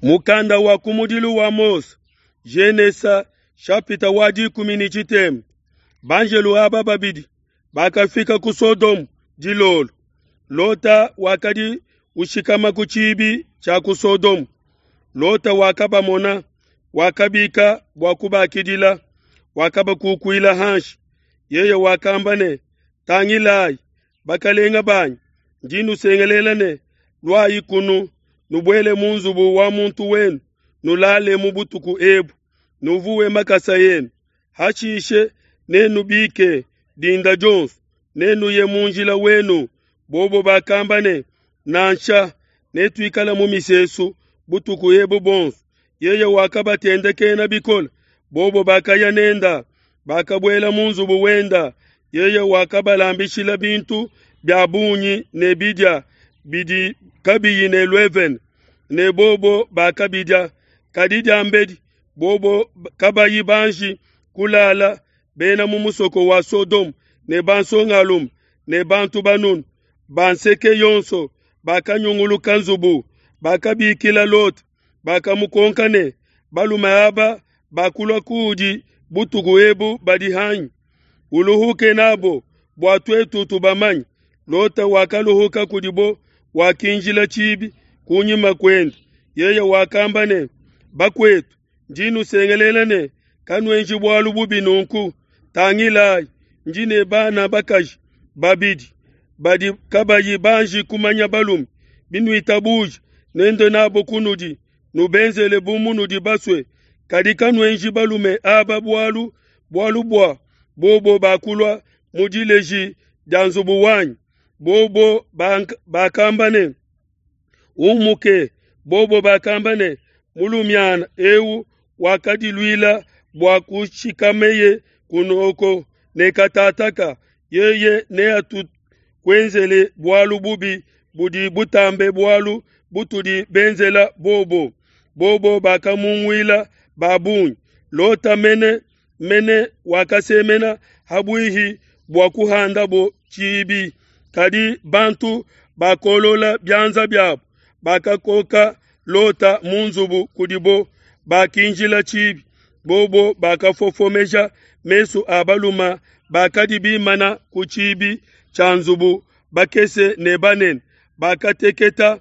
Mukanda wa kumudilu wa Mose, Genesa shapita wa 13. Banjelu aba babidi bakafika ku Sodomu dilolo. Lota wakadi ushikama ku tshibi tshia ku Sodomu. Lota wakabamona, wakabika bua kubakidila, wakabakukuila hanshi. Yeye wakamba ne, Tangilayi, bakalenge banyi, ndi nusengelela ne, luayi kunu, nubuele mu nzubu wa muntu wenu, nulalemu butuku ebu, nuvuwe makasa enu. Hashishe nenubike dinda dionso, nenuye mu njila wenu. Bobo bakamba ne, Nansha, netuikale mu misesu butuku ebu buonso. Yeye wakabatendekena bikole, bobo bakaya nenda, bakabuela mu nzubu wenda. Yeye wakabalambishila bintu bia bungi ne bidia bidi kabiyi ne luevene, ne bobo bakabidia. Kadi diambedi bobo kabayi banji kulala, bena mu musoko wa Sodoma ne bansongalume ne bantu banunu ba nseke yonso bakanyunguluka nzubu, bakabikila Lota, bakamukonka ne, Balume aba bakulua kuudi butuku ebu badi hanyi? Uluhuke nabo bua tuetu tubamanye. Lota wakaluhuka kudibo, wakinjila tshibi kunyima kuende. Yeye wakamba ne, Bakuetu, ndi nusengelela ne, kanuenji bualu bubi nunku. Tangilayi, ndi ne bana bakaji babidi badi kabayi banji kumanya balume. Binuitabuja, nende nabo kunudi, nubenzele bu munudi basue. Kadi kanuenji balume aba bualu, bualu bua bobo bakulua mu dileji dia nzubu wanyi. Bobo bakamba ne, Umuke. Bobo bakamba ne, Mulumiana eu wakadiluila bua kushikameye kunoko ne katataka, yeye neatukuenzele bualu bubi budi butambe bualu butudi benzela bobo. Bobo bakamunguila ba bungi. Lota mene mene wakasemena habuihi bua kuhandabo tshibi, kadi bantu bakolola bianza biabo, bakakoka Lota mu nzubu kudibo, bakinjila tshibi. Bobo bakafofomeja mesu a balume bakadi bimana ku tshibi tshia nzubu, bakese ne banene, bakateketa,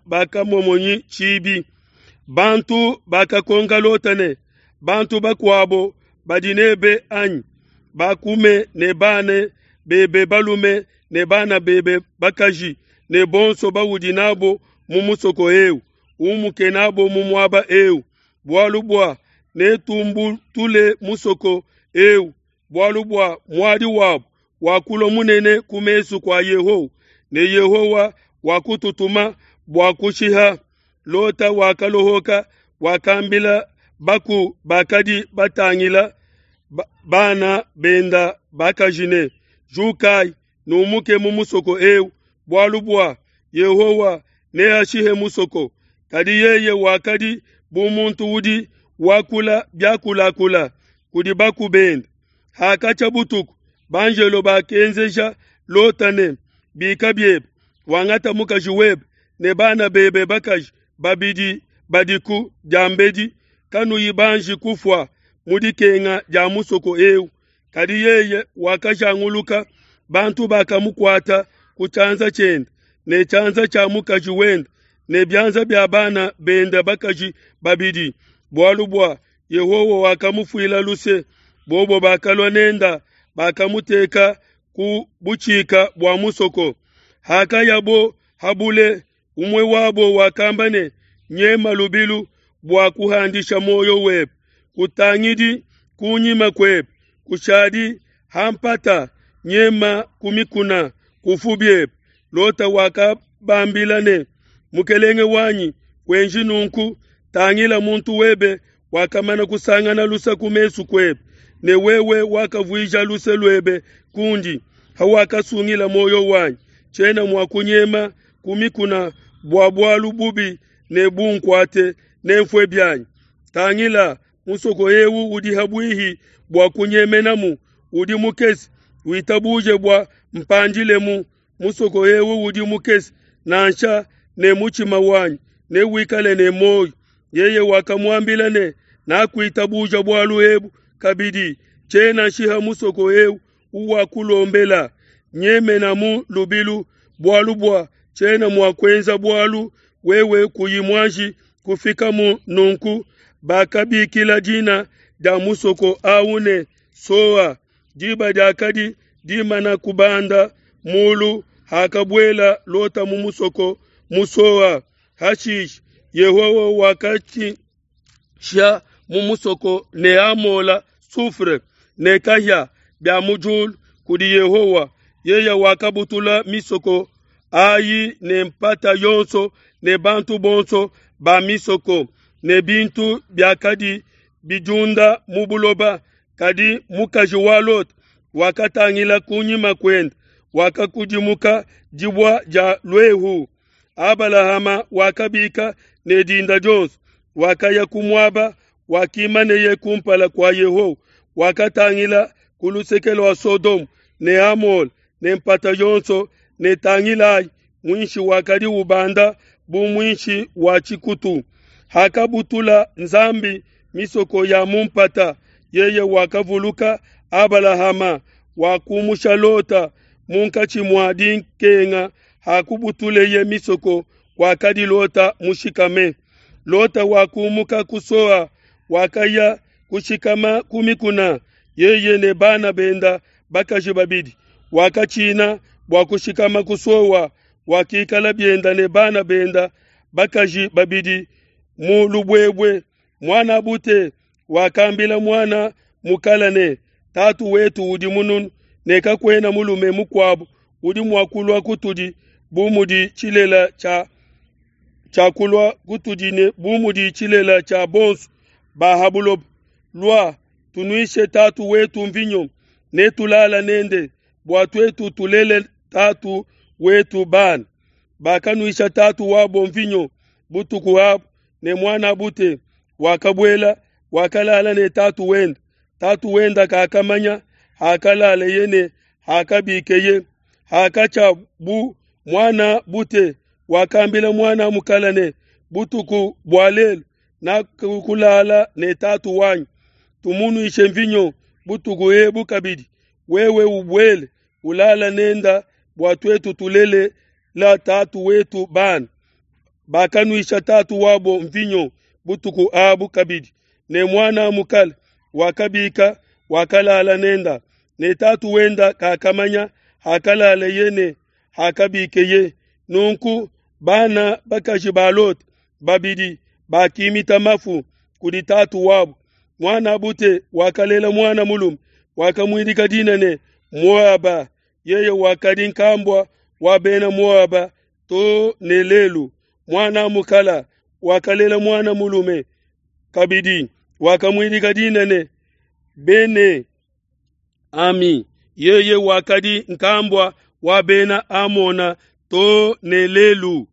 bakamomonyi tshibi. Bantu bakakonka Lota ne, Bantu bakuabo badi nebe anyi? Bakume ne bana bebe balume ne bana bebe bakaji ne bonso baudi nabo mu musoko eu, umuke nabo mu muaba eu, bualu bua netumbutule musoko eu, bualu bua muadi wabo wakulua munene ku mesu kua Yehowa, ne Yehowa wakututuma bua kushiha. Lota wakalohoka, wakambila baku bakadi batangila bana benda bakaji ne, Jukai, numuke mu musoko eu, bualu bua Yehowa neashihe musoko. Kadi yeye wakadi bu muntu udi wakula biakulakula kudi baku bende. Hakatshia butuku, banjelo bakenzeja Lota ne, Bika biebe, wangata mukaji webe ne bana bebe bakaji babidi badiku diambedi kanuyi banji kufua mu dikenga dia musoko eu. Kadi yeye wakajanguluka, bantu bakamukuata ku tshianza tshiende ne tshianza tshia mukaji wende ne bianza bia bana bende bakaji babidi, bualu bua Yehowa wakamufuila luse. Bobo bakalua nenda, bakamuteka ku butshika bua musoko. Hakayabo habule, umue wabo wakamba ne, Nyema lubilu bua kuhandisha muoyo webe, kutangidi kunyima kuebe, kushadi ha mpata, nyema ku mikuna, kufu biebe. Lota wakabambila ne, Mukelenge wanyi, kuenji nunku, tangila muntu webe wakamana kusangana luse ku mesu kuebe, ne wewe wakavuija luse luebe kundi hawakasungila muoyo wanyi. Tshiena mua kunyema ku mikuna bua bualu bubi ne bunkuate, nenfue bianyi. Tangila, musoko eu udi habuihi bua kunyemenamu, udi mukese, witabuje bua mpandilemu. Musoko eu udi mukese, nansha ne mutshima wanyi. newikale ne muoyo. Yeye wakamuambila ne, Nakuitabuja bualu ebu kabidi, tshiena nshiha musoko eu uwakulombela, nyemenamu lubilu, bualu bua tshiena mua kuenza bualu wewe kuyi muanji kufikamu. Nunku bakabikila dina dia musoko au ne, Soa. Diba diakadi dimana kubanda mulu hakabuela Lota mu musoko mu Soa. Hashishe Yehowa wakatshisha mu musoko ne amola soufre ne kahia bia mu diulu kudi Yehowa. Yeye wakabutula misoko ayi ne mpata yonso ne bantu bonso ba misoko ne bintu biakadi bidiunda mu buloba. Kadi mukaji wa Lota wakatangila kunyima kuende, wakakudimuka dibua dia luehu. Abalahama wakabika ne dinda dionso, wakaya ku muaba wakimaneye kumpala kua Yehowa, wakatangila ku luseke lua Sodomu ne Amola ne mpata yonso, ne tangilayi, muinshi wakadi ubanda bu muinshi wa tshikutu. Hakabutula Nzambi misoko ya mu mpata, yeye wakavuluka Abalahama, wakumusha Lota munkatshi mua dikenga hakubutuleye misoko kwakadi Lota mushikame. Lota wakumuka ku Soa, wakaya kushikama ku mikuna, yeye ne bana benda bakaji babidi. Wakatshina bua kushikama ku Soa, wakikala bienda ne bana benda bakaji babidi mu lubuebue. Muan'a bute wakambila muana mukala ne, Tatu wetu udi mununu, ne kakuena mulume mukuabo udi mua kulua kutudi bu mudi tshilela tshia tshia kulua kutudi ne bu mudi tshilela tshia bonso ba ha buloba. Lua, tunuishe tatu wetu mvinyo, ne tulala nende, bua tuetu tulele tatu wetu bana. Bakanuisha tatu wabo mvinyo butuku abu, ne muan'a bute wakabuela, wakalala ne tatu wende. Tatu wende kakamanya hakalaleye ne hakabikeye. Hakatshia bu muan'a bute wakambila muana mukala ne, Butuku bua lelu nakulala ne tatu wanyi, tumunuishe mvinyo butuku ebu kabidi, wewe ubuele ulala nenda bua tuetu tulele la tatu wetu bana. Bakanuisha tatu wabo mvinyo butuku abu kabidi, ne muana mukala wakabika wakalala nenda, ne tatu wenda kakamanya hakalaleye ne hakabikeye. Nunku bana bakaji ba Lota babidi bakimita mafu kudi tatu wabo. Muan'a bute wakalela muana mulume, wakamuidika dina ne Moaba. Yeye wakadi nkambua wa bena Moaba to ne lelu. Muana mukala wakalela muana mulume kabidi, wakamuidika dina ne Bene Ami. Yeye wakadi nkambua wa bena Amona to ne lelu.